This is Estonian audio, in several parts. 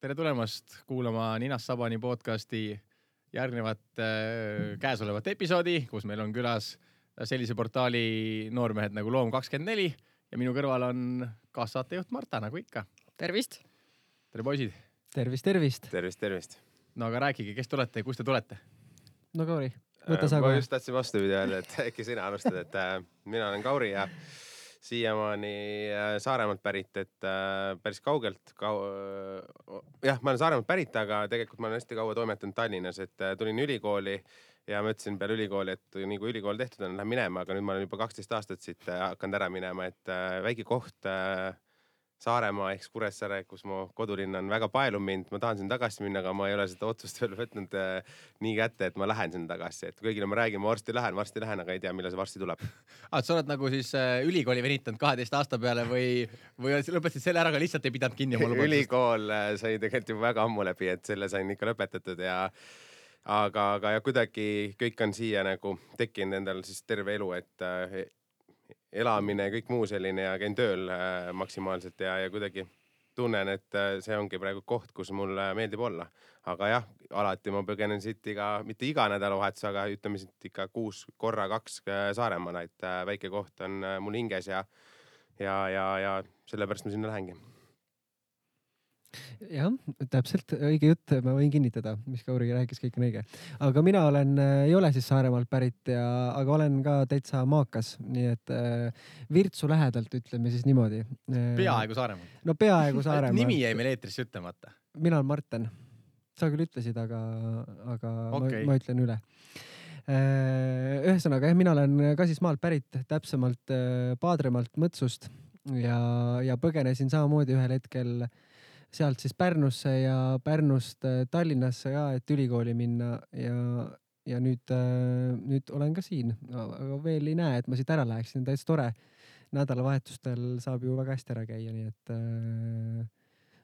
Tere tulemast kuulama Ninast Sabani podcasti järgnevat käesolevat episoodi, kus meil on külas sellise portaali noormehed nagu Loom24 ja minu kõrval on kaassaatejuht Marta, nagu ikka. Tervist! Tere poisid! Tervist! No aga rääkige, kes te olete ja kust te tulete? No Kauri, võta sa ma kohe. just tahtsin vastupidi öelda, et äkki sina alustad, et mina olen Kauri ja siiamaani Saaremaalt pärit, et päris kaugelt. Jah, ma olen Saaremaalt pärit, aga tegelikult ma olen hästi kaua toimetanud Tallinnas, et tulin ülikooli ja mõtlesin peale ülikooli, et nii kui ülikool tehtud on, lähen minema, aga nüüd ma olen juba 12 aastat siit hakanud ära minema, et väike koht Saaremaa ehk Kuressaare, kus mu kodulinn on väga paelub mind. Ma tahan sinna tagasi minna, aga ma ei ole seda otsust veel võtnud nii kätte, et ma lähen sinna tagasi. Et kõigile ma räägin, ma varsti lähen, aga ei tea, millal see varsti tuleb. Sa oled nagu siis ülikooli venitanud 12 aasta peale või lõpetasid selle ära, aga lihtsalt ei pidanud kinni? Ülikool sai tegelikult juba väga ammu läbi, et selle sain ikka lõpetatud aga kuidagi kõik on siia nagu tekkinud endal siis terve elu, et elamine ja kõik muu selline ja käin tööl maksimaalselt ja kuidagi tunnen, et see ongi praegu koht, kus mul meeldib olla. Aga jah, alati ma põgenen siit mitte iga nädalavahetus, aga ütleme siit ikka 6 korra 2 Saaremaale, et väike koht on mul hinges ja sellepärast ma sinna lähengi. Jah, täpselt õige jutt, ma võin kinnitada, mis Kauri rääkis, kõik on õige. Aga mina ei ole siis Saaremaalt pärit, aga olen ka täitsa maakas, nii et Virtsu lähedalt, ütleme siis niimoodi. Peaaegu Saaremaalt. No peaaegu Saaremaalt. Nimi jäi meil eetrisse ütlemata. Mina olen Marten. Sa küll ütlesid, aga okay. ma ütlen üle. Ühesõnaga, mina olen ka siis maalt pärit, täpsemalt Paadremaalt Mõtsust ja põgenesin samamoodi ühel hetkel sealt siis Pärnusse ja Pärnust Tallinnasse ka, et ülikooli minna ja nüüd olen ka siin. Aga veel ei näe, et ma siit ära läheksin. Täitsa tore. Nädalavahetustel saab ju väga hästi ära käia, nii et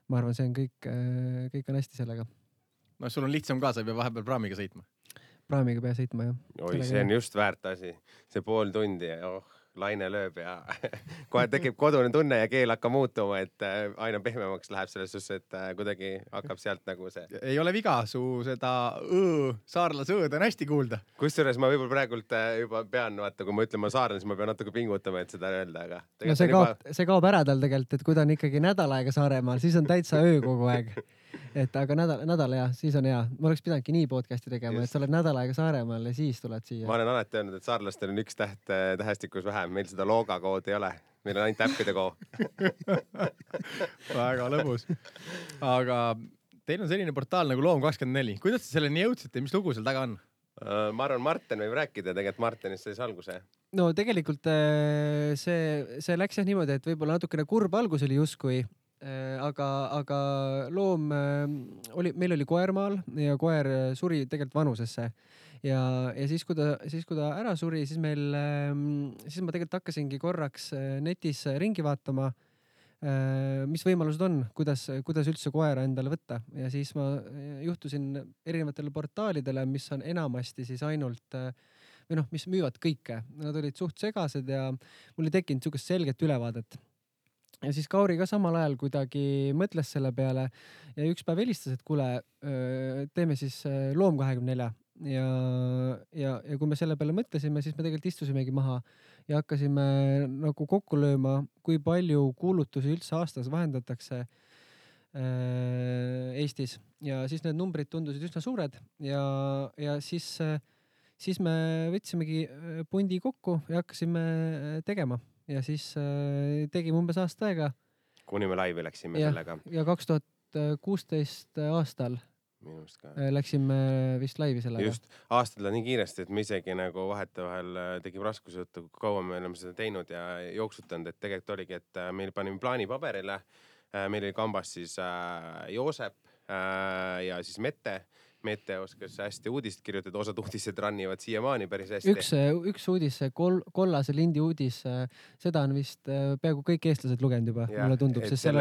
ma arvan, see on kõik on hästi sellega. No sul on lihtsam ka, sa ei pea vahepeal praamiga sõitma. Praamiga pea sõitma, jah. Oi, see on just väärt asi. See pool tundi ja laine lööb ja kohe tekib kodune tunne ja keel hakkab muutuma, et aina pehmemaks läheb selles suhtes, et kuidagi hakkab sealt nagu see. Ei ole viga, su seda saarlase õõd on hästi kuulda. Kusjuures ma võib-olla praegult juba pean, vaata, kui ma ütlen ma saarlane, siis ma pean natuke pingutama, et seda öelda, aga no see kaob ära tal tegelikult, et kui ta on ikkagi nädal aega Saaremaal, siis on täitsa öö kogu aeg. Et aga nädal ja siis on hea. Ma oleks pidanudki nii podcasti tegema, et sa oled nädal aega Saaremaal ja siis tuled siia. Ma olen alati öelnud, et saarlastel on 1 täht tähestikus vähem. Meil seda looga kood ei ole. Meil on ainult äppide koo. Väga lõbus. Aga teil on selline portaal nagu Loom24. Kuidas te selleni jõudsite? Mis lugu seal taga on? Ma arvan, Marten võib rääkida. Tegelikult Martenist sai alguse. No tegelikult see läks jah niimoodi, et võib-olla natukene kurb algus oli justkui. Aga loom meil oli koer maal ja koer suri tegelikult vanusesse ja siis kui ta ära suri, siis ma tegelikult hakkasingi korraks netis ringi vaatama, mis võimalused on, kuidas üldse koera endale võtta ja siis ma juhtusin erinevatele portaalidele, mis on enamasti siis ainult või mis müüvad kõike. Nad olid suht segased ja mul ei tekkinud niisugust selget ülevaadet. Ja siis Kauri ka samal ajal kuidagi mõtles selle peale ja üks päev helistas, et kuule, teeme siis Loom24 ja kui me selle peale mõtlesime, siis me tegelikult istusimegi maha ja hakkasime nagu kokku lööma, kui palju kuulutusi üldse aastas vahendatakse Eestis ja siis need numbrid tundusid üsna suured ja siis me võtsimegi pundi kokku ja hakkasime tegema. Ja siis tegime umbes aasta aega. Kuni me laivi läksime sellega. Ja 2016 aastal läksime vist laivi sellega. Just, aastal nii kiiresti, et me isegi nagu vahetevahel tegime raskusi, kui kaua me oleme seda teinud ja jooksutanud, et tegelikult oligi, et meil panime plaani paberile. Meil oli kambas siis Joosep ja siis Mette oskas hästi uudist kirjutada, osad uudised rannivad siiamaani päris hästi. Üks uudis, kollase lindi uudis, seda on vist peaaegu kõik eestlased lugenud juba, mulle tundub, sest seal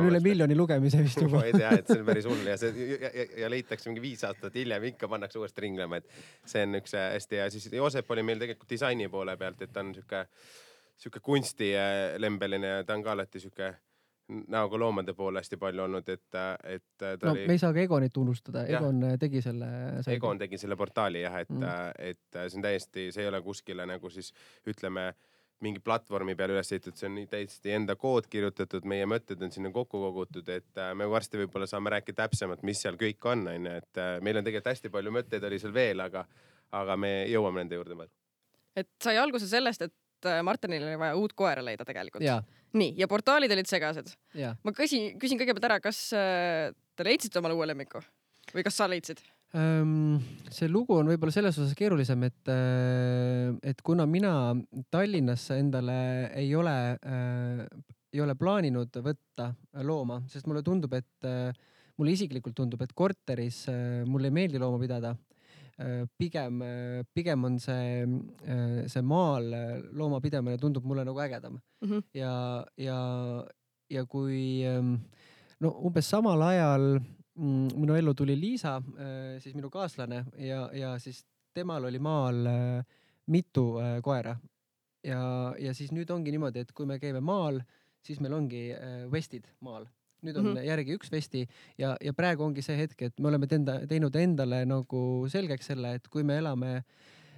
on üle miljoni lugemise vist juba. Ma ei tea, et see on päris hull ja leitakse mingi 5 aastat hiljem, ikka pannakse uuesti ringlema, et see on üks hästi ja siis Joosep oli meil tegelikult disaini poole pealt, et ta on siuke kunstilembeline ja ta on ka alati siuke näoga loomade poole hästi palju olnud, et ta oli... me ei saa ka Egonit unustada. Egon tegi selle... Egon tegi selle portaali jah, et see on täiesti, see ei ole kuskile nagu siis ütleme mingi platvormi peal üles ehitatud, see on täiesti enda kood kirjutatud, meie mõtted on sinna kokku kogutud, et me varsti võib-olla saame rääkida täpsemalt, mis seal kõik on, et meil on tegelikult hästi palju mõtteid oli seal veel, aga me jõuame nende juurde veel. Et sai alguse sellest, et Martinil oli vaja uut koera leida tegelikult. Ja. Nii, ja portaalid olid segased. Ja. Ma küsin kõigepealt ära, kas te leidsite omale uue lemmiku? Või kas sa leidsid? See lugu on võib-olla selles osas keerulisem, et kuna mina Tallinnasse endale ei ole plaaninud võtta looma, sest mulle tundub, mulle isiklikult tundub, et korteris mulle ei meeldi looma pidada. Pigem on see maal looma pidamine tundub mulle nagu ägedam. Ja kui umbes samal ajal minu ellu tuli Liisa, siis minu kaaslane ja siis temal oli maal mitu koera. Ja siis nüüd ongi niimoodi, et kui me käime maal, siis meil ongi vestid maal. Nüüd on järgi üks vesti ja praegu ongi see hetk, et me oleme teinud endale nagu selgeks selle, et kui me elame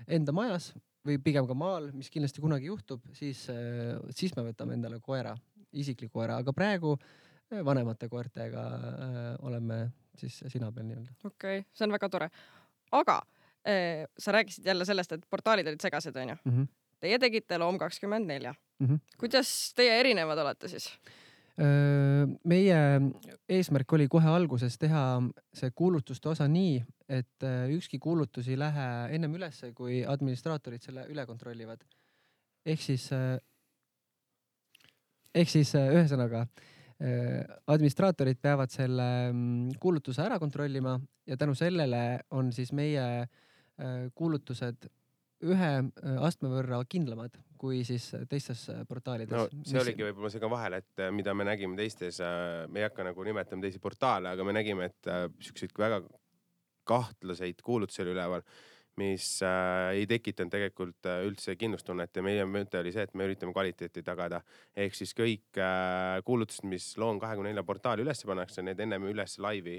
enda majas või pigem ka maal, mis kindlasti kunagi juhtub, siis me võtame endale koera, isikliku koera, aga praegu vanemate koertega oleme siis sina peal nii-öelda. Okei, see on väga tore. Aga sa rääkisid jälle sellest, et portaalid olid segased, on ju? Teie tegite Loom 24. Kuidas teie erinevad olete siis? Meie eesmärk oli kohe alguses teha see kuulutuste osa nii, et ükski kuulutus ei lähe ennem ülesse, kui administraatorid selle üle kontrollivad. Ehk siis ühesõnaga administraatorid peavad selle kuulutuse ära kontrollima ja tänu sellele on siis meie kuulutused ühe astme võrra kindlamad kui siis teistes portaalides. No see oligi võib-olla see ka vahel, et mida me nägime teistes, me ei hakka nagu nimetama teisi portaale, aga me nägime, et selliseid väga kahtlaseid kuulutusi oli üleval, mis ei tekitanud tegelikult üldse kindlustunnet ja meie mõte oli see, et me üritame kvaliteeti tagada. Ehk siis kõik kuulutused, mis Loom 24 portaali üles pannakse, need ennem üles laivi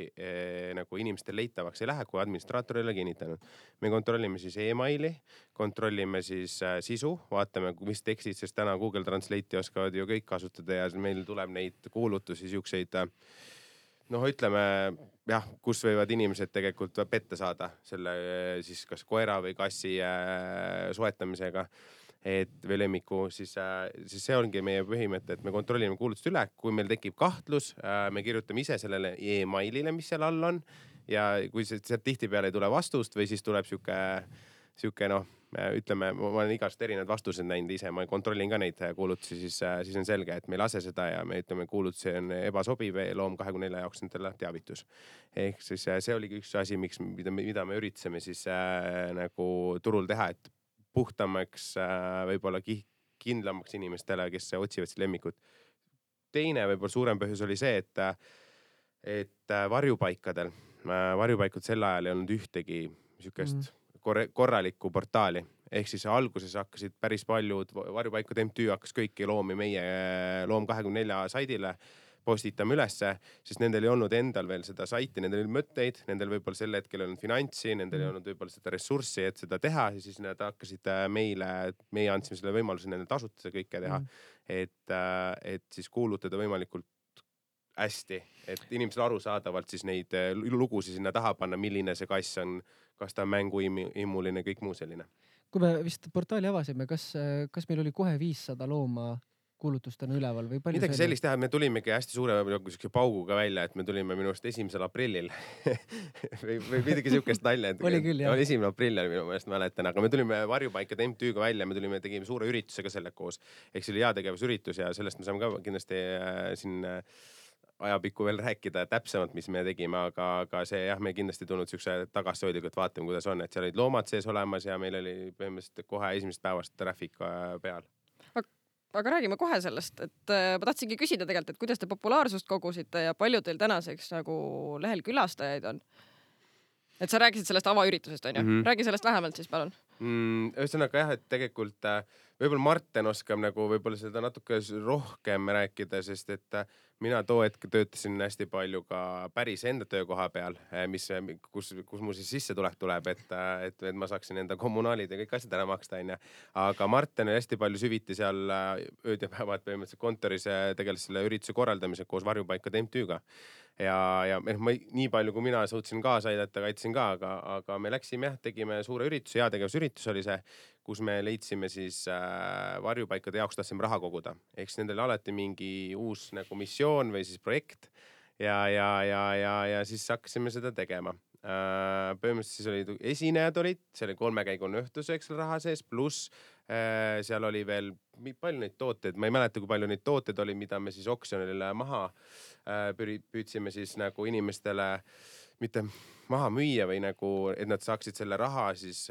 nagu inimestel leitavaks ei lähe, kui administraator ei ole kinnitanud. Me kontrollime siis e-maili, kontrollime siis sisu, vaatame, mis tekstid, sest täna Google Translate'i oskavad ju kõik kasutada ja meil tuleb neid kuulutusi siukseid ütleme, jah, kus võivad inimesed tegelikult petta saada selle siis kas koera või kassi soetamisega või lemmiku, siis see ongi meie põhimõte, et me kontrollime kuulutust üle. Kui meil tekib kahtlus, me kirjutame ise sellele e-mailile, mis seal all on ja kui sealt tihtipeale ei tule vastust või siis tuleb siuke ütleme, ma olen igast erinevad vastused näinud ise, ma kontrollin ka neid kuulutusi, siis on selge, et me ei lase seda ja me ütleme, kuulutusi on ebasobiv Loom 24 jaoks nendele teavitus. Ehk siis see oligi üks asi, mida me üritasime siis nagu turul teha, et puhtamaks, võib-olla kindlamaks inimestele, kes otsivad siis lemmikut. Teine võib-olla suurem põhjus oli see, et varjupaikadel sel ajal ei olnud ühtegi niisugust korralikku portaali. Ehk siis alguses hakkasid päris paljud varjupaikad MTÜ hakkas kõiki loomi meie Loom 24 saidile postitame ülesse, sest nendel ei olnud endal veel seda saiti, nendel oli mõtteid, nendel võib-olla sel hetkel on finantsi, nendel ei olnud võib-olla seda ressurssi, et seda teha ja siis nad hakkasid meie andsime selle võimaluse nendel tasuta kõike teha, et siis kuulutada võimalikult hästi, et inimesel arusaadavalt siis neid lugusid sinna taha panna, milline see kass on, kas ta on mänguimuline, kõik muu selline. Kui me vist portaali avasime, kas meil oli kohe 500 looma kuulutustena üleval või palju? Midagi sellist teha, me tulimegi hästi suure pauguga välja, et me tulime minu arust 1. aprillil või midagi siukest nalja. Oli küll, jah. Oli 1. aprillil minu meelest mäletan, aga me tulime varjupaikade MTÜ-ga välja, me tegime suure üritusega selle koos. Ehk see oli heategevusüritus ja sellest me saame ka kindlasti siin ajapikku veel rääkida täpsemalt, mis me tegime, aga see jah, me kindlasti tulnud siukse tagasihoidlikult vaatame, kuidas on, et seal olid loomad sees olemas ja meil oli põhimõtteliselt kohe esimesest päevast traffic peal. Aga räägime kohe sellest, et ma tahtsingi küsida tegelikult, et kuidas te populaarsust kogusite ja palju teil tänaseks nagu lehel külastajaid on? Et sa rääkisid sellest avaüritusest, on ju? Räägi sellest vähemalt siis, palun. Ühesõnaga jah, et tegelikult võib-olla Marten oskab nagu võib-olla seda natuke rohkem rääkida, sest et mina too hetk töötasin hästi palju ka päris enda töökoha peal, kus mul siis sissetulek tuleb, et ma saaksin enda kommunaalid ja kõik asjad ära maksta, onju. Aga Marten oli hästi palju süviti seal ööd ja päevad põhimõtteliselt kontoris tegeles selle ürituse korraldamisega koos Varjupaikade MTÜ-ga. Ja nii palju, kui mina suutsin kaasa aidata, kaitsin ka, aga me läksime jah, tegime suure ürituse, heategevusüritus oli see, kus me leidsime siis varjupaikade jaoks tahtsime raha koguda. Eks nendel alati mingi uus nagu missioon või siis projekt ja siis hakkasime seda tegema. Põhimõtteliselt siis olid esinejad see oli 3-käigune õhtus, eks raha sees, pluss seal oli veel palju neid tooteid, ma ei mäleta, kui palju neid tooteid oli, mida me siis oksjonile maha püüdsime siis nagu inimestele mitte maha müüa või nagu, et nad saaksid selle raha siis,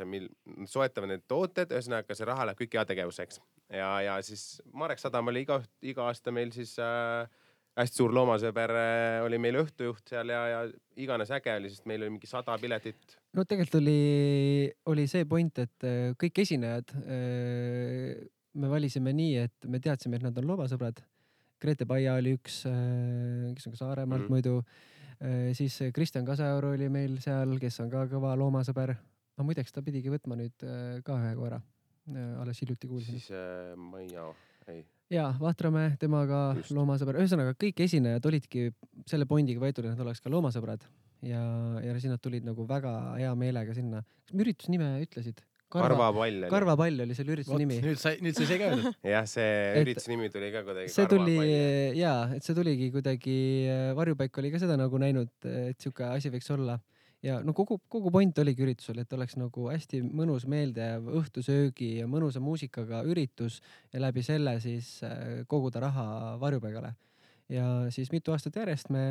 soetavad need tooted, ühesõnaga see raha läheb kõik heategevuseks. Ja siis Marek Sadam oli iga aasta meil siis hästi suur loomasõber oli meil õhtujuht seal ja iganes äge oli, sest meil oli mingi 100 piletit. No tegelikult oli see point, et kõik esinejad me valisime nii, et me teadsime, et nad on loomasõbrad. Grete Paia oli üks, kes on ka Saaremaalt muidu. Siis Kristjan Kasajaur oli meil seal, kes on ka kõva loomasõber. No muideks ta pidigi võtma nüüd ka ühe koera. Alles hiljuti kuulsin. Siis Maia, ei. Jaa, Vahtramäe, temaga loomasõber. Ühesõnaga, kõik esinejad olidki selle pointiga võetud, et nad oleks ka loomasõbrad. Ja siis nad tulid nagu väga hea meelega sinna. Kas me ürituse nime ütlesid? Karvapall oli selle ürituse nimi. Nüüd sai ka öelda. Jah, see ürituse nimi tuli ka kuidagi Karvapall. Jaa, et see tuligi kuidagi, Varjupaik oli ka seda nagu näinud, et siuke asi võiks olla. Ja no kogu point oligi üritusel, et oleks nagu hästi mõnus meeldejääv õhtusöögi ja mõnusa muusikaga üritus ja läbi selle siis koguda raha Varjupaigale. Ja siis mitu aastat järjest me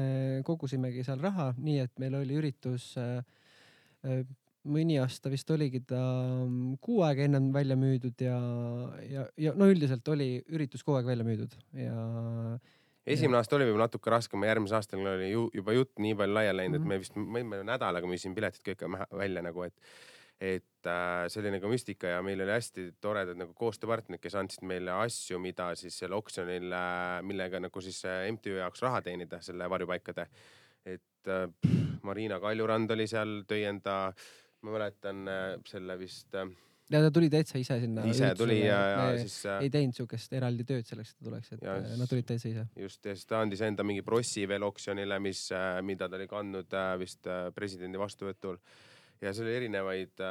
kogusimegi seal raha, nii et meil oli üritus mõni aasta vist oligi ta 6 aega ennem välja müüdud ja no üldiselt oli üritus kogu aeg välja müüdud ja esimene aasta oli võib natuke raskem, järgmise aastal oli juba jutt nii palju laiali läinud, et me nädalaga müüsin piletid kõik välja nagu, et see oli nagu müstika ja meil oli hästi toredad nagu koostööpartnerid, kes andsid meile asju, mida siis selle oksjonil, millega nagu siis MTÜ jaoks raha teenida, selle Varjupaikade. Et Marina Kaljurand oli seal, tõi enda, ma mäletan selle vist... Ja ta tuli täitsa ise sinna. Ise tuli ja siis... Ei teinud siukest eraldi tööd selleks, et ta tuleks, et nad tulid täitsa ise. Just, ja siis ta andis enda mingi brossi veel oksjonile, mida ta oli kandnud vist presidendi vastuvõtul. Ja see oli erinevaid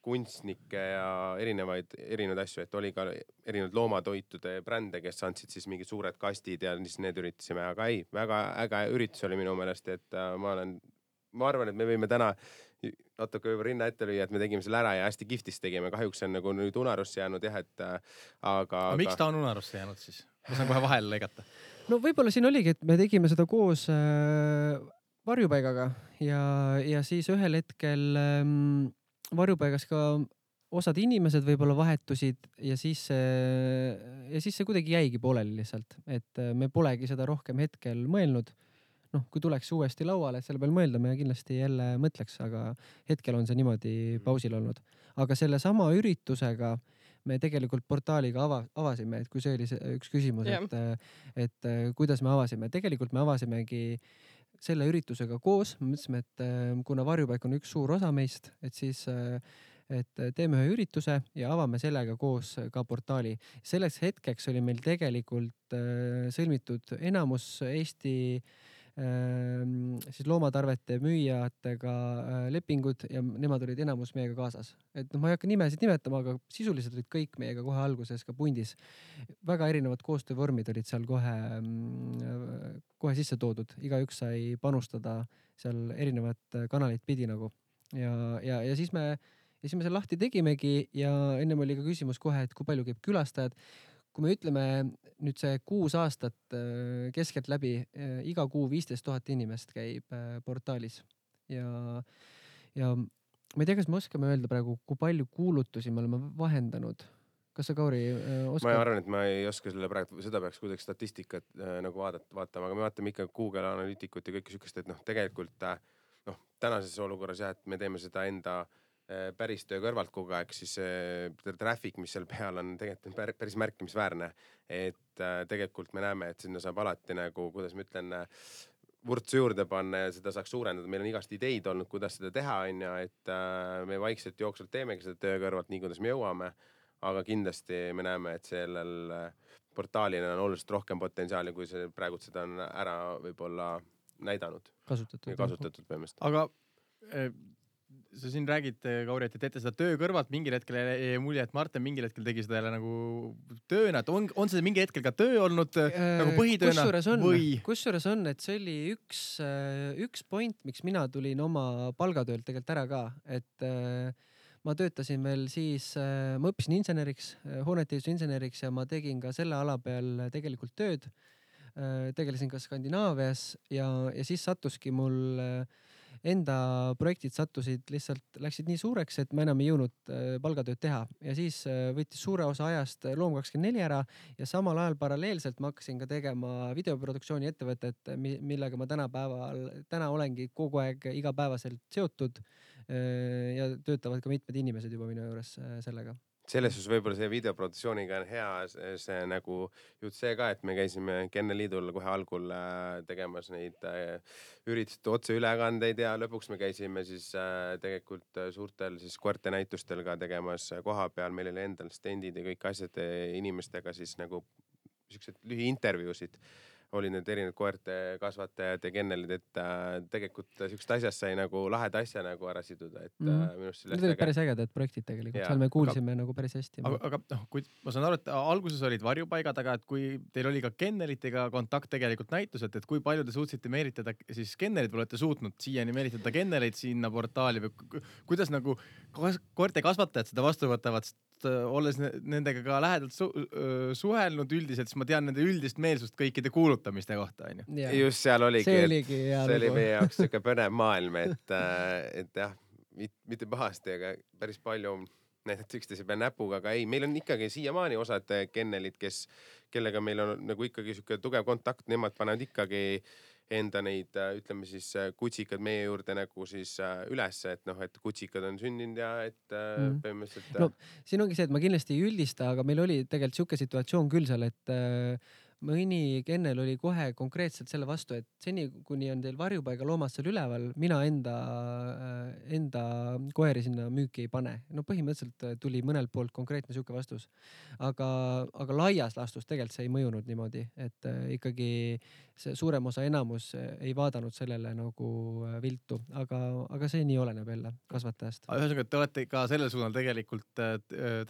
kunstnikke ja erinevaid asju, et oli ka erinevad loomatoitude brände, kes andsid siis mingid suured kastid ja siis need üritasime. Aga ei, väga äge üritus oli minu meelest, et ma arvan, et me võime täna natuke juba rinna ette lüüa, et me tegime selle ära ja hästi kihvtis tegime. Kahjuks on nagu nüüd unarusse jäänud jah, et aga... Miks ta on unarusse jäänud siis? Ma saan kohe vahele lõigata. No võib-olla siin oligi, et me tegime seda koos Varjupaigaga ja siis ühel hetkel Varjupaigas ka osad inimesed võib-olla vahetusid ja siis see kuidagi jäigi pooleli lihtsalt, et me polegi seda rohkem hetkel mõelnud. Noh, kui tuleks uuesti lauale, et selle peal mõelda, me kindlasti jälle mõtleks, aga hetkel on see niimoodi pausil olnud. Aga selle sama üritusega me tegelikult portaaliga avasime, et kui see oli üks küsimus, et kuidas me avasime. Tegelikult me avasimegi selle üritusega koos. Me mõtlesime, et kuna Varjupaik on üks suur osa meist, et siis et teeme ühe ürituse ja avame sellega koos ka portaali. Selleks hetkeks oli meil tegelikult sõlmitud enamus Eesti siis loomatarvete müüjatega lepingud ja nemad olid enamus meiega kaasas. Et ma ei hakka nimesid nimetama, aga sisuliselt olid kõik meiega kohe alguses ka pundis. Väga erinevad koostöövormid olid seal kohe sisse toodud. Igaüks sai panustada seal erinevat kanalit pidi nagu. Ja siis me selle lahti tegimegi ja ennem oli ka küsimus kohe, et kui palju käib külastajad. Kui me ütleme nüüd see 6 aastat keskelt läbi, iga kuu 15 000 inimest käib portaalis ja ma ei tea, kas me oskame öelda praegu, kui palju kuulutusi me oleme vahendanud. Kas sa, Kauri, oskad? Ma arvan, et ma ei oska selle praegu, seda peaks kuidagi statistikat nagu vaatama, aga me vaatame ikka Google Analyticut ja kõik sükest, et tegelikult tänases olukorras jah, et me teeme seda enda päris töö kõrvalt kogu aeg, siis traffic, mis seal peal on, tegelikult on päris märkimisväärne. Et tegelikult me näeme, et sinna saab alati nagu, kuidas ma ütlen, vurtsu juurde panna ja seda saaks suurendada. Meil on igast ideid olnud, kuidas seda teha, on ja, et me vaikselt jooksvalt teemegi seda töö kõrvalt nii, kuidas me jõuame. Aga kindlasti me näeme, et sellel portaalina on oluliselt rohkem potentsiaali, kui see praegu seda on ära võib-olla näidanud. Kasutatud põhimõtteliselt. Aga sa siin räägid, Kauri, et teete seda töö kõrvalt, mingil hetkel jäi mulje, et Martin mingil hetkel tegi seda jälle nagu tööna, et on see mingi hetkel ka töö olnud nagu põhitööna kusjuures on, et see oli üks point, miks mina tulin oma palgatöölt tegelikult ära ka, et ma töötasin veel siis, ma õppisin inseneriks, hoonetehituse inseneriks ja ma tegin ka selle ala peal tegelikult tööd. Tegelesin ka Skandinaavias ja siis sattuski mul enda projektid lihtsalt läksid nii suureks, et ma enam ei jõudnud palgatööd teha ja siis võttis suure osa ajast Loom24 ära ja samal ajal paralleelselt ma hakkasin ka tegema videoproduktsiooni ettevõtet, millega ma täna olengi kogu aeg igapäevaselt seotud ja töötavad ka mitmed inimesed juba minu juures sellega. Selles suhtes võib-olla see videoproduktsiooniga on hea see nagu jutt see ka, et me käisime Kenneliidul kohe algul tegemas neid ürituste otseülekandeid ja lõpuks me käisime siis tegelikult suurtel siis koerte-näitustel ka tegemas koha peal. Meil oli endal stendid ja kõik asjad inimestega siis nagu siuksed lühiintervjuusid. Oli need erinevad koerte kasvatajad ja kennelid, et tegelikult siukest asjast sai nagu laheda asja nagu ära siduda, et minust need olid päris ägedad projektid tegelikult, seal me kuulsime nagu päris hästi. Aga kui ma saan aru, et alguses olid varjupaigad, aga et kui teil oli ka kennelitega kontakt tegelikult näituselt, et kui palju te suutsite meelitada siis kennelit, või olete suutnud siiani meelitada kennelit sinna portaali või kuidas nagu koerte kasvatajad seda vastu võtavad, olles nendega ka lähedalt suhelnud üldiselt, siis ma tean nende üldist meelsust kõikide kuulutamiste kohta. Just seal oligi, see oli meie jaoks siuke põnev maailm, et jah, mitte pahasti, aga päris palju näidati üksteise peal näpuga, aga ei, meil on ikkagi siiamaani osad kennelid, kellega meil on nagu ikkagi siuke tugev kontakt, nemad panevad ikkagi enda neid, ütleme siis kutsikad meie juurde nagu siis üles, et et kutsikad on sündinud ja et põhimõtteliselt. No, siin ongi see, et ma kindlasti ei üldista, aga meil oli tegelikult siuke situatsioon küll seal, et mõni kennel oli kohe konkreetselt selle vastu, et seni, kuni on teil varjupaiga loomad seal üleval, mina enda koeri sinna müüki ei pane. No põhimõtteliselt tuli mõnelt poolt konkreetne siuke vastus. Aga laias laastus tegelikult see ei mõjunud niimoodi, et ikkagi see suurem osa enamus ei vaadanud sellele nagu viltu, aga see nii oleneb jälle kasvatajast. Ühesõnaga, te olete ka sellel suunal tegelikult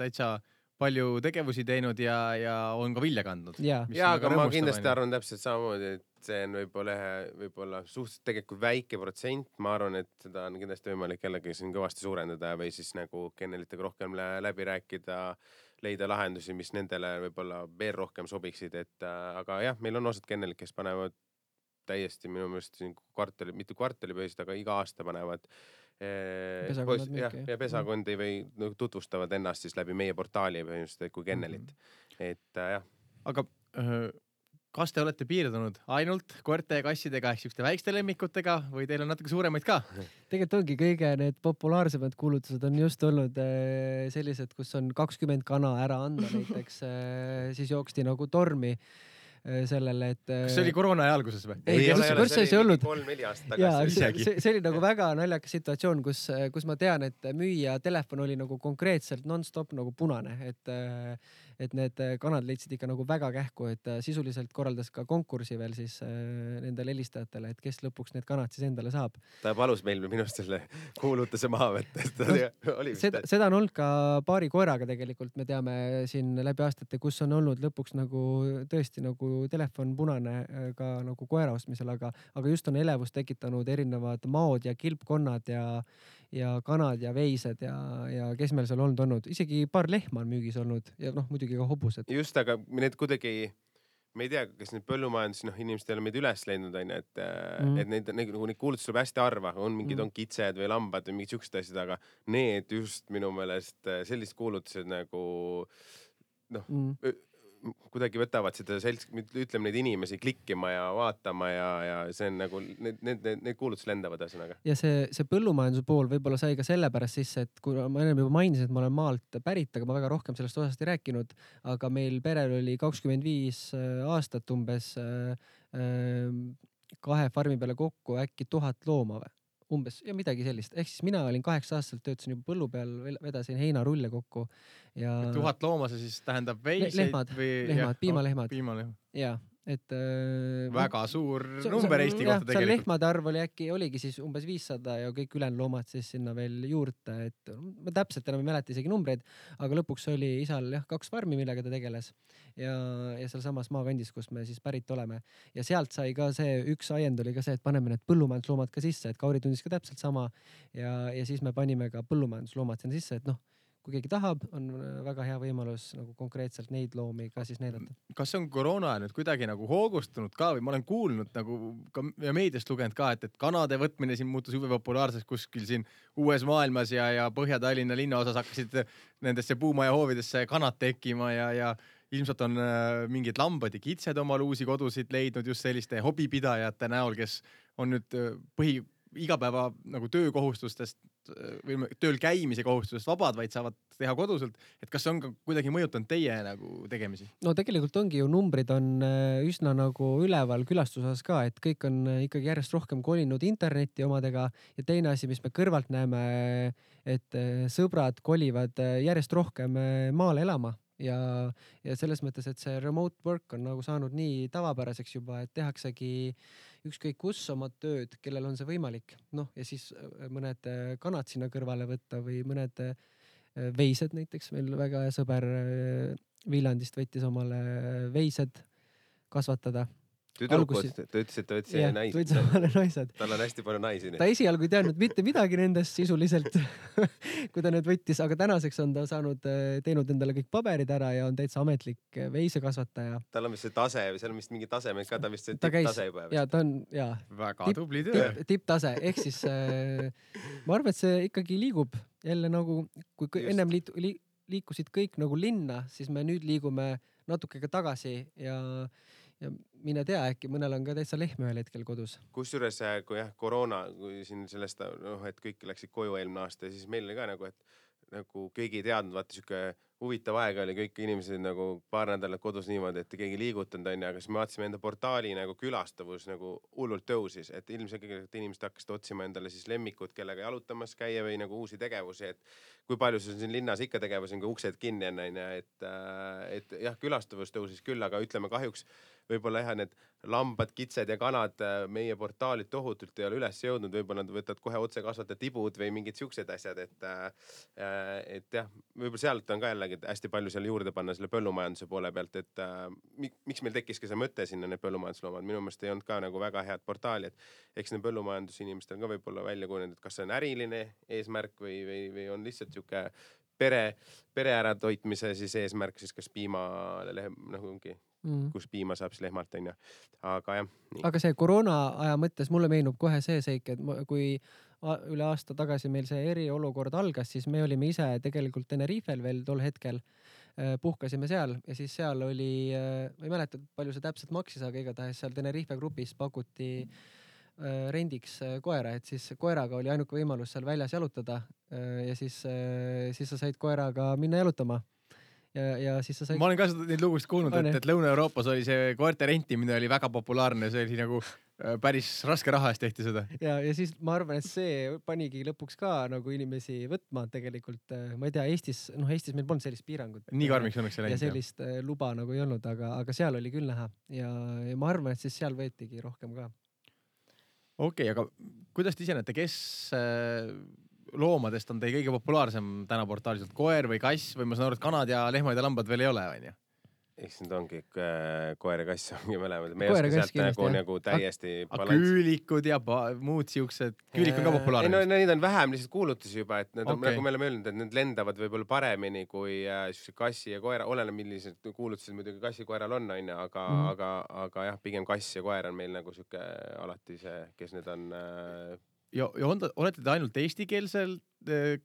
täitsa palju tegevusi teinud ja on ka vilja kandnud. Ja, aga ma kindlasti arvan täpselt samamoodi, et see on võib-olla suhteliselt tegelikult väike protsent. Ma arvan, et seda on kindlasti võimalik jällegi siin kõvasti suurendada või siis nagu kennelitega rohkem läbi rääkida, leida lahendusi, mis nendele võib-olla veel rohkem sobiksid. Aga jah, meil on osad kennelid, kes panevad täiesti minu meelest siin mitte kvartalipõhiselt, aga iga aasta panevad pesakondi või tutvustavad ennast siis läbi meie portaali põhimõtteliselt kui kennelit. Et jah. Aga kas te olete piirdunud ainult koerte ja kassidega ehk siukeste väikeste lemmikutega või teil on natuke suuremaid ka? Tegelikult ongi kõige need populaarsemad kuulutused on just olnud sellised, kus on 20 kana ära anda näiteks, siis jooksti nagu tormi sellele, et kas see oli koroona ja alguses või? Ei, see ei olnud. 3-4 aastat tagasi. See oli nagu väga naljakas situatsioon, kus ma tean, et müüja telefon oli nagu konkreetselt non-stop nagu punane, et need kanad leidsid ikka nagu väga kähku, et sisuliselt korraldas ka konkursi veel siis nendele helistajatele, et kes lõpuks need kanad siis endale saab. Ta palus meil minust selle kuulutuse maha võtta. Seda on olnud ka paari koeraga tegelikult, me teame siin läbi aastate, kus on olnud lõpuks nagu tõesti nagu telefon punane ka nagu koera ostmisel, aga just on elevust tekitanud erinevad maod ja kilpkonnad ja kanad ja veised ja kes meil seal olnud. Isegi paar lehma on müügis olnud ja muidugi ka hobused. Just, aga need kuidagi, me ei tea, kes need põllumajandus, inimestel on meid üles leidnud, et neid kuulutusi tuleb hästi harva, on mingid on kitsed või lambad või mingid siuksed asjad, aga need just minu meelest sellised kuulutused nagu kuidagi võtavad seda ütleme neid inimesi klikkima ja vaatama ja see on nagu, need kuulutused lendavad ühesõnaga. Ja see põllumajanduse pool võib-olla sai ka sellepärast sisse, et kui ma enne juba mainisin, et ma olen maalt pärit, aga ma väga rohkem sellest osast ei rääkinud, aga meil perel oli 25 aastat umbes 2 farmi peale kokku äkki 1000 looma või? Umbes ja midagi sellist. Ehk siis mina olin 8 aastaselt, töötasin juba põllu peal, vedasin heinarulle kokku ja 1000 looma see siis tähendab veiseid lehmad, piimalehmad. Ja, et väga suur number Eesti kohta tegelikult. Seal lehmade arv oligi siis umbes 500 ja kõik ülejäänud loomad siis sinna veel juurde, et ma täpselt enam ei mäleta isegi numbreid, aga lõpuks oli isal 2 farmi, millega ta tegeles ja seal samas maakandis, kus me siis pärit oleme. Ja sealt sai ka see, üks ajend oli ka see, et paneme need põllumajandusloomad ka sisse, et Kauri tundis ka täpselt sama ja siis me panime ka põllumajandusloomad sinna sisse, et kui keegi tahab, on väga hea võimalus nagu konkreetselt neid loomi ka siis näidata. Kas see on koroona nüüd kuidagi nagu hoogustunud ka või ma olen kuulnud nagu ka ja meediast lugenud ka, et kanade võtmine siin muutus jube populaarseks kuskil siin uues maailmas ja Põhja-Tallinna linnaosas hakkasid nendesse puumaja hoovidesse kanad tekkima ja ilmselt on mingid lambad ja kitsed omal uusi kodusid leidnud just selliste hobipidajate näol, kes on nüüd igapäeva nagu töökohustustest või tööl käimise kohustusest vabad, vaid saavad teha koduselt. Et kas see on ka kuidagi mõjutanud teie nagu tegemisi? No tegelikult ongi ju numbrid on üsna nagu üleval külastusas ka, et kõik on ikkagi järjest rohkem kolinud internetti omadega ja teine asi, mis me kõrvalt näeme, et sõbrad kolivad järjest rohkem maale elama. Ja selles mõttes, et see remote work on nagu saanud nii tavapäraseks juba, et tehaksegi ükskõik kus oma tööd, kellel on see võimalik. Ja siis mõned kanad sinna kõrvale võtta või mõned veised näiteks. Meil väga hea sõber Viljandist võttis omale veised kasvatada. Tüdrukud, ta ütles, et ta võttis naised. Võttis omale naised. Tal on hästi palju naisi. Ta esialgu ei teadnud mitte midagi nendest sisuliselt, kui ta need võttis, aga tänaseks on ta teinud endale kõik paberid ära ja on täitsa ametlik veisekasvataja. Tal on vist see tase, seal on vist mingi tasemed ka, ta vist see tipptase juba. Ja ta on, väga tubli töö. Tipptase, ehk siis ma arvan, et see ikkagi liigub jälle nagu, kui ennem liikusid kõik nagu linna, siis me nüüd liigume natuke ka tagasi ja mine tea, äkki mõnel on ka täitsa lehm ühel hetkel kodus. Kusjuures, kui koroona, kui siin sellest, et kõik läksid koju eelmine aasta, siis meil oli ka nagu, et nagu keegi ei teadnud, vaata siuke huvitav aeg oli, kõik inimesed nagu paar nädalat kodus niimoodi, et keegi liigutanud on, aga siis me vaatasime enda portaali nagu külastavus nagu hullult tõusis, et ilmselt inimesed hakkasid otsima endale siis lemmikud, kellega jalutamas käia või nagu uusi tegevusi, et kui palju see on siin linnas ikka tegevusi, kui uksed kinni on, et jah, külastavus tõusis küll, aga ütleme kahjuks võib-olla need lambad, kitsed ja kanad meie portaalid tohutult ei ole üles jõudnud, võib-olla nad võtavad kohe otse kasvatada tibud või mingid siuksed asjad, et jah, võib-olla sealt on ka jällegi hästi palju seal juurde panna selle põllumajanduse poole pealt, et miks meil tekkiski see mõte sinna need põllumajandusloomad, minu meelest ei olnud ka nagu väga head portaali, et eks need põllumajandusinimestel ka võib-olla välja kujunenud, et kas see on äriline eesmärk või on lihtsalt siuke pere äratoitmise siis eesmärk, siis kas piimalehem nagu ongi, kus piima saab siis lehmalt on ja, aga jah. Nii. Aga see koroona aja mõttes mulle meenub kohe see seik, et kui üle aasta tagasi meil see eriolukord algas, siis me olime ise tegelikult Tenerifel veel tol hetkel, puhkasime seal ja siis seal oli, ma ei mäleta, palju see täpselt maksis, aga igatahes seal Tenerife grupis pakuti rendiks koera, et siis koeraga oli ainuke võimalus seal väljas jalutada ja siis sa said koeraga minna jalutama. Ja siis sa said... Ma olen ka neid lugusid kuulnud, et Lõuna-Euroopas oli see koerte rentimine oli väga populaarne, see oli nagu päris raske raha eest tehti seda. Ja siis ma arvan, et see panigi lõpuks ka nagu inimesi võtma tegelikult, ma ei tea, Eestis meil polnud sellist piirangut. Nii karmiks õnneks see läinud. Ja sellist luba nagu ei olnud, aga seal oli küll näha ja ma arvan, et siis seal võetigi rohkem ka. Okei, aga kuidas te ise näete, kes loomadest on teie kõige populaarsem täna portaaliselt? Koer või kass või ma saan aru, et kanad ja lehmad ja lambad veel ei ole, on ju? Eks need ongi koer ja kass ongi mõlemad. Me ei oska sealt nagu täiesti küülikud ja muud siuksed. Küülik on ka populaarne. Neid on vähem lihtsalt kuulutusi juba, et nagu me oleme öelnud, et need lendavad võib-olla paremini kui kassi ja koera. Oleneb millised kuulutused muidugi kassi koeral on, aga jah, pigem kass ja koer on meil nagu siuke alati see, kes need on... Ja olete te ainult eestikeelselt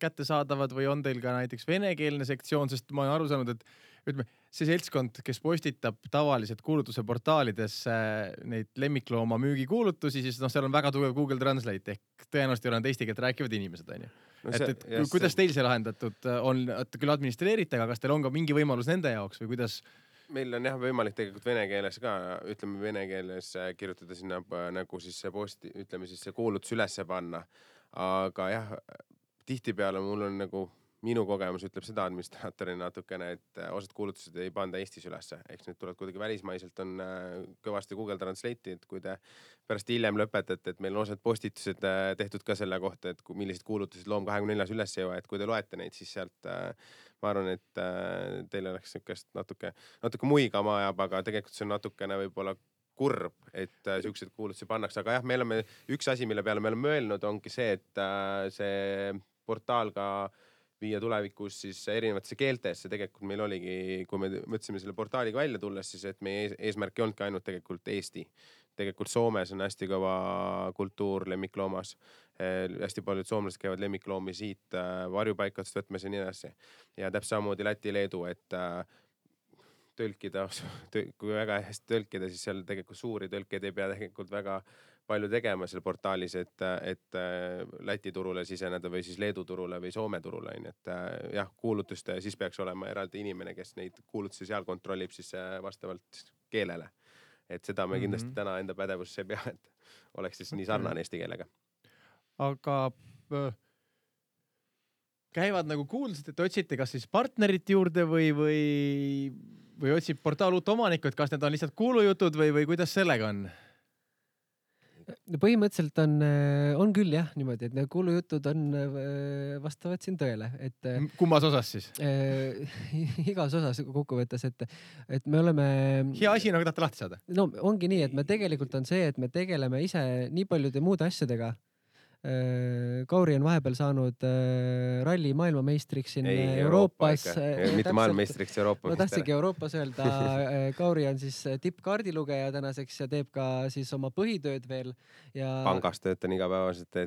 kättesaadavad või on teil ka näiteks venekeelne sektsioon, sest ma olen aru saanud, et ütleme, see seltskond, kes postitab tavaliselt kuulutuse portaalidesse neid lemmiklooma müügikuulutusi, siis seal on väga tugev Google Translate ehk tõenäoliselt ei ole nad eesti keelt rääkivad inimesed, onju. Kuidas teil see lahendatud on, küll administreerite, aga kas teil on ka mingi võimalus nende jaoks või kuidas? Meil on jah võimalik tegelikult vene keeles ka, ütleme vene keeles kirjutada sinna nagu siis see posti, ütleme siis see kuulutus ülesse panna. Aga jah, tihtipeale mul on nagu minu kogemus ütleb seda administraatorina natukene, et osad kuulutused ei panda Eestis ülesse. Eks need tulevad kuidagi välismaiselt on kõvasti Google Translate'i, et kui te pärast hiljem lõpetate, et meil on osad postitused tehtud ka selle kohta, et millised kuulutused Loom 24 üles ei ole, et kui te loete neid, siis sealt ma arvan, et teil oleks niisugust natuke muigama ajab, aga tegelikult see on natukene võib-olla kurb, et siuksed kuulutusi pannakse. Aga jah, me oleme üks asi, mille peale me oleme mõelnud, ongi see, et see portaal ka viia tulevikus siis erinevatesse keeltesse. Tegelikult meil oligi, kui me mõtlesime selle portaaliga välja tulles, siis et meie eesmärk ei olnudki ainult tegelikult Eesti. Tegelikult Soomes on hästi kõva kultuur lemmikloomas. Hästi paljud soomlased käivad lemmikloomi siit varjupaikadest võtmes ja nii edasi. Ja täpselt samamoodi Läti, Leedu, et tõlkida, kui väga hästi tõlkida, siis seal tegelikult suuri tõlkeid ei pea tegelikult väga palju tegema seal portaalis, et Läti turule siseneda või siis Leedu turule või Soome turule. Et jah, kuulutuste siis peaks olema eraldi inimene, kes neid kuulutusi seal kontrollib siis vastavalt keelele. Et seda me kindlasti täna enda pädevusse ei pea, et oleks siis nii sarnane eesti keelega. Aga käivad nagu kuulsad, et otsite kas siis partnerit juurde või otsib portaal uut omanikku, et kas need on lihtsalt kuulujutud või kuidas sellega on? Põhimõtteliselt on küll jah niimoodi, et need kuulujutud on vastavad siin tõele. Et, kummas osas siis? Igas osas kokkuvõttes, et me oleme... Hea asi, nagu tahate lahti saada? No ongi nii, et me tegelikult on see, et me tegeleme ise nii paljude muude asjadega. Kauri on vahepeal saanud ralli maailmameistriks siin Euroopas. Mitte maailmameistriks Euroopa. Ma tahtsingi Euroopas öelda. Kauri on siis tippkaardilugeja tänaseks ja teeb ka siis oma põhitööd veel. Ja... Pangas töötan igapäevaselt,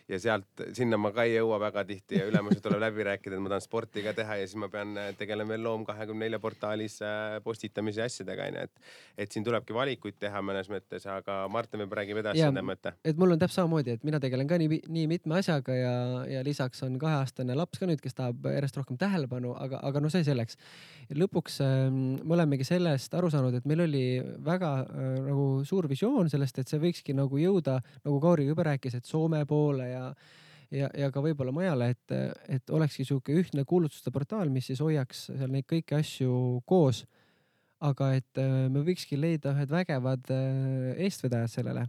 ja sealt sinna ma ka ei jõua väga tihti ja ülemused tuleb läbi rääkida, et ma tahan sporti ka teha ja siis ma pean tegelema veel Loom 24 portaalis postitamise asjadega. Et siin tulebki valikuid teha mõnes mõttes, aga Martin võib räägib edasi selle mõtte. Et mul on täpselt samamoodi, et mina tegelen ka nii mitme asjaga ja lisaks on 2-aastane laps ka nüüd, kes tahab järjest rohkem tähelepanu, aga no see selleks. Lõpuks me olemegi sellest aru saanud, et meil oli väga nagu suur visioon sellest, et see võikski nagu jõuda, nagu Kauri juba rääkis, et Soome poole ja ka võib-olla majale, et olekski siuke ühtne kuulutuste portaal, mis siis hoiaks seal neid kõiki asju koos. Aga et me võikski leida ühed vägevad eestvedajad sellele,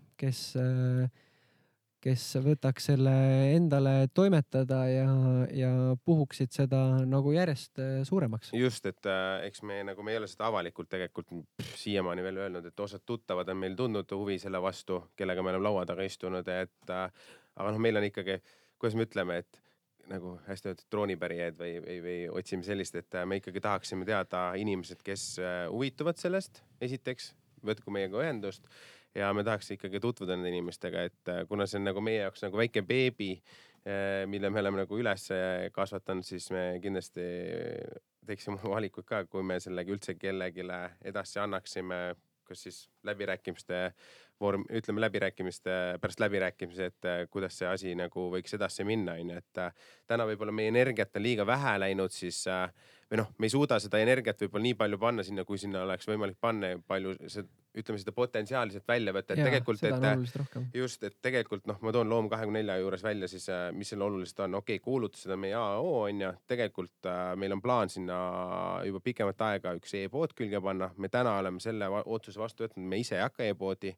kes võtaks selle endale toimetada ja puhuksid seda nagu järjest suuremaks. Just, et eks me nagu me ei ole seda avalikult tegelikult siiamaani veel öelnud, et osad tuttavad on meil tundnud huvi selle vastu, kellega me oleme laua taga istunud, aga meil on ikkagi, kuidas me ütleme, et nagu hästi öeldud droonipärijad või otsime sellist, et me ikkagi tahaksime teada inimesed, kes huvituvad sellest, esiteks, võtku meiega ühendust ja me tahaks ikkagi tutvuda nende inimestega, et kuna see on nagu meie jaoks nagu väike beebi, mille me oleme nagu üles kasvatanud, siis me kindlasti teeksime valikuid ka, kui me sellegi üldse kellegile edasi annaksime, kas siis läbirääkimiste vorm, ütleme pärast läbirääkimise, et kuidas see asi nagu võiks edasi minna. Et täna võib-olla meie energiat on liiga vähe läinud, siis või me ei suuda seda energiat võib-olla nii palju panna sinna, kui sinna oleks võimalik panna palju ütleme seda potentsiaalselt välja võtta, et tegelikult, just, et tegelikult ma toon Loom 24 juures välja siis, mis selle oluliselt on. Okei, kuulutused on meie AO on ja tegelikult meil on plaan sinna juba pikemat aega üks e-pood külge panna. Me täna oleme selle otsuse vastu võtnud, me ise ei hakka e-poodi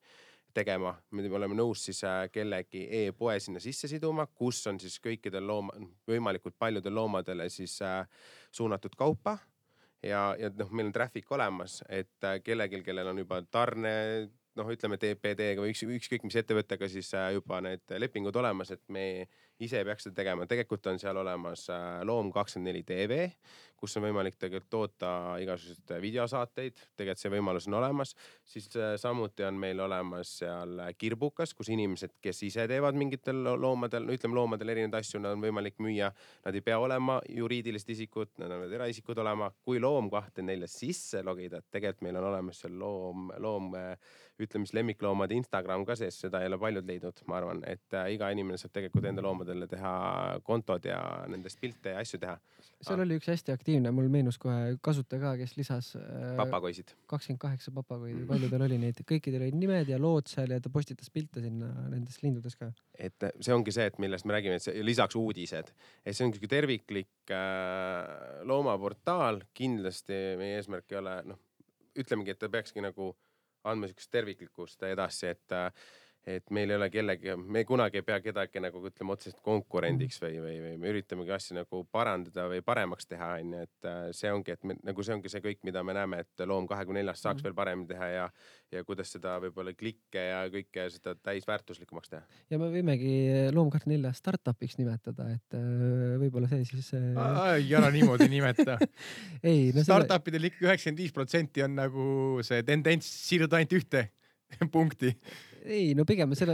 tegema. Me oleme nõus siis kellegi e-poe sinna sisse siduma, kus on siis kõikidel võimalikult paljudel loomadele siis suunatud kaupa. Ja meil on traffic olemas, et kellel on juba tarne, ütleme TPD-ga või ükskõik mis ettevõttega siis juba need lepingud olemas, et me ise ei peaks seda tegema. Tegelikult on seal olemas Loom24 TV, kus on võimalik tegelikult toota igasuguseid videosaateid. Tegelikult see võimalus on olemas. Siis samuti on meil olemas seal Kirbukas, kus inimesed, kes ise teevad mingitel loomadel, no ütleme loomadel erinevaid asju, nad on võimalik müüa. Nad ei pea olema juriidilised isikud, nad on eraisikud olema. Kui Loom24 sisse logida, tegelikult meil on olemas seal loom ütleme siis lemmikloomade Instagram ka sees, seda ei ole paljud leidnud, ma arvan, et iga inimene saab tegelikult enda loomadele teha kontod ja nendest pilte ja asju teha. Seal oli üks hästi aktiivne, mul meenus kohe kasutaja ka, kes lisas papagoisid. 28 papagoidi, palju tal oli neid, kõikidel olid nimed ja lood seal ja ta postitas pilte sinna nendest lindudes ka. Et see ongi see, et millest me räägime, et see, lisaks uudised, et see on terviklik loomaportaal, kindlasti meie eesmärk ei ole, ütlemegi, et ta peakski nagu andma sükest terviklikkust edasi, et meil ei ole kellegi, me kunagi ei pea kedagi nagu ütleme otseselt konkurendiks või me üritamegi asju nagu parandada või paremaks teha, et see ongi, et nagu see ongi see kõik, mida me näeme, et Loom24 saaks veel paremini teha ja kuidas seda võib-olla klikke ja kõike seda täisväärtuslikumaks teha. Ja me võimegi Loom24 startupiks nimetada, et võib-olla see siis... Ei ära niimoodi nimeta. Ei, no Startupidel ikka 95% on nagu see tendents siirduda ainult ühte punkti. Ei, no pigem selle,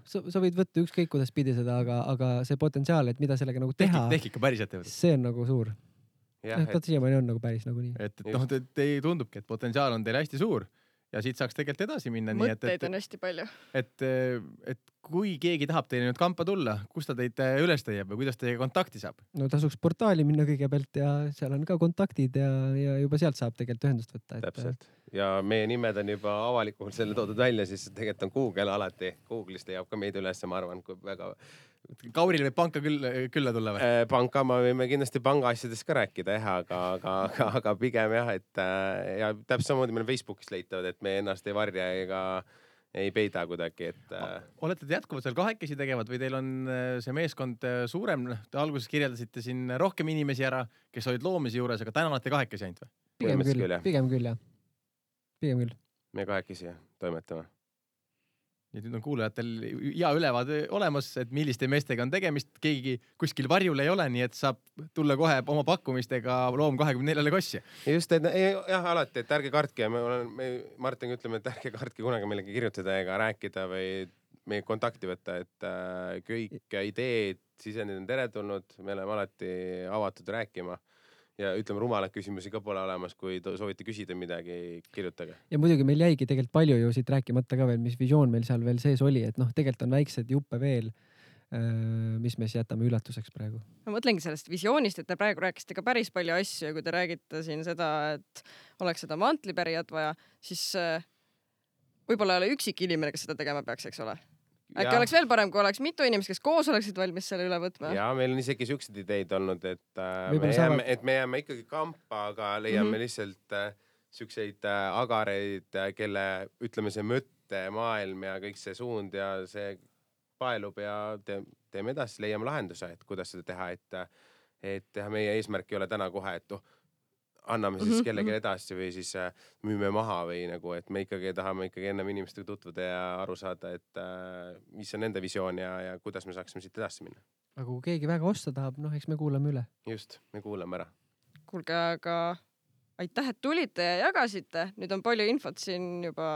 sa võid võtta ükskõik kuidas pidi seda, aga see potentsiaal, et mida sellega nagu teha, tehk ikka päris ettevõte. See on nagu suur. Ta siiamaani on nagu päris nagu nii. Et teil tundubki, et potentsiaal on teil hästi suur ja siit saaks tegelikult edasi minna. Mõtteid on hästi palju. Et kui keegi tahab teile nüüd kampa tulla, kus ta teid üles teeb või kuidas teiega kontakti saab? No tasuks portaali minna kõigepealt ja seal on ka kontaktid ja juba sealt saab tegelikult ühendust võtta. Täpselt. Ja meie nimed on juba avalikult selle toodud välja, siis tegelikult on Google alati. Google'is leiab ka meid üles, ma arvan, kui väga... Kauril võib panka külla tulla või? Panka ma võime kindlasti panga asjadest ka rääkida, aga pigem jah, et ja täpselt samamoodi meil Facebookis leitavad, et me ennast ei varja ega ei peida kuidagi, et... Olete te jätkuvalt seal kahekesi tegevad või teil on see meeskond suurem? Te alguses kirjeldasite siin rohkem inimesi ära, kes olid loomise juures, aga täna olete kahekesi ainult või? Pigem küll, jah. Pigem küll. Me kahekesi toimetame. Ja nüüd on kuulajatel hea ülevaade olemas, et milliste meestega on tegemist. Keegi kuskil varjul ei ole, nii et saab tulla kohe oma pakkumistega Loom24 kossi. Just, et jah, alati, et ärge kartke. Me Martin ütleme, et ärge kartke kunagi millegi kirjutada ega rääkida või meie kontakti võtta, et kõik ideed, sisendid on teretulnud. Me oleme alati avatud rääkima. Ja ütleme, rumalad küsimusi ka pole olemas, kui soovite küsida midagi, kirjutage. Ja muidugi meil jäigi tegelikult palju ju siit rääkimata ka veel, mis visioon meil seal veel sees oli, et tegelikult on väiksed juppe veel, mis me siis jätame üllatuseks praegu. Ma mõtlengi sellest visioonist, et te praegu rääkisite ka päris palju asju ja kui te räägite siin seda, et oleks seda mantlipärijat vaja, siis võib-olla ei ole üksik inimene, kes seda tegema peaks, eks ole? Äkki oleks veel parem, kui oleks mitu inimest, kes koos oleksid valmis selle üle võtma. Ja meil on isegi siuksed ideid olnud, et me jääme ikkagi kampa, aga leiame lihtsalt siukseid agareid, kelle ütleme see mõttemaailm ja kõik see suund ja see paelub ja teeme edasi, leiame lahenduse, et kuidas seda teha, et meie eesmärk ei ole täna kohe, et anname siis kellegi edasi või siis müüme maha või nagu, et me ikkagi tahame ikkagi ennem inimestega tutvuda ja aru saada, et mis on nende visioon ja kuidas me saaksime siit edasi minna. Aga kui keegi väga osta tahab, eks me kuulame üle. Just, me kuulame ära. Kuulge, aga aitäh, et tulite ja jagasite. Nüüd on palju infot siin juba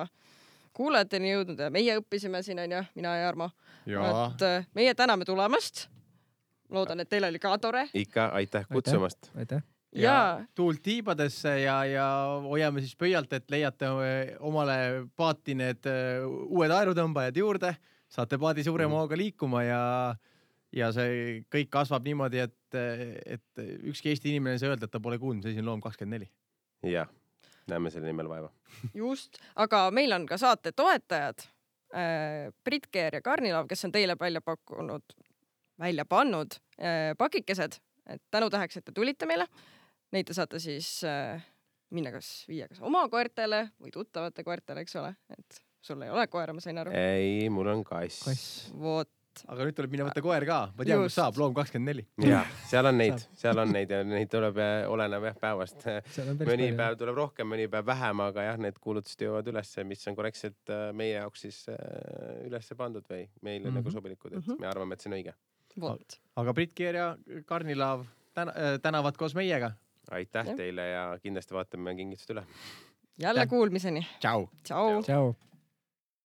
kuulajateni jõudnud ja meie õppisime siin, on ju, mina ja Armo. Et meie täname tulemast. Loodan, et teil oli ka tore. Ikka, aitäh kutsumast. Aitäh. Ja tuult tiibadesse ja hoiame siis pöialt, et leiate omale paati need uued aerutõmbajad juurde, saate paadi suurema hooga liikuma ja see kõik kasvab niimoodi, et ükski Eesti inimene ei saa öelda, et ta pole kuulnud, see on Loom24. Ja, näeme selle nimel vaeva. Just, aga meil on ka saate toetajad, Brit Keer ja Karnilov, kes on teile välja pannud pakikesed, et tänu täheks, et te tulite meile. Neid te saate siis minna viia kas oma koertele või tuttavate koertele, eks ole. Et sul ei ole koera, ma sain aru. Ei, mul on kass. Vot. Aga nüüd tuleb minna võtta koer ka. Ma tean, kus saab Loom24. Ja, seal on neid ja neid tuleb oleneb päevast. Mõni päev tuleb rohkem, mõni päev vähem, aga jah, need kuulutused jõuavad üles, mis on korrektselt meie jaoks siis üles pandud või meile nagu sobilikud, et me arvame, et see on õige. Vot. aga Brit Keer ja Karnilaav tänavad koos meiega. Aitäh teile ja kindlasti vaatame kingitused üle. Jälle kuulmiseni. Tšau. Tšau. Tšau.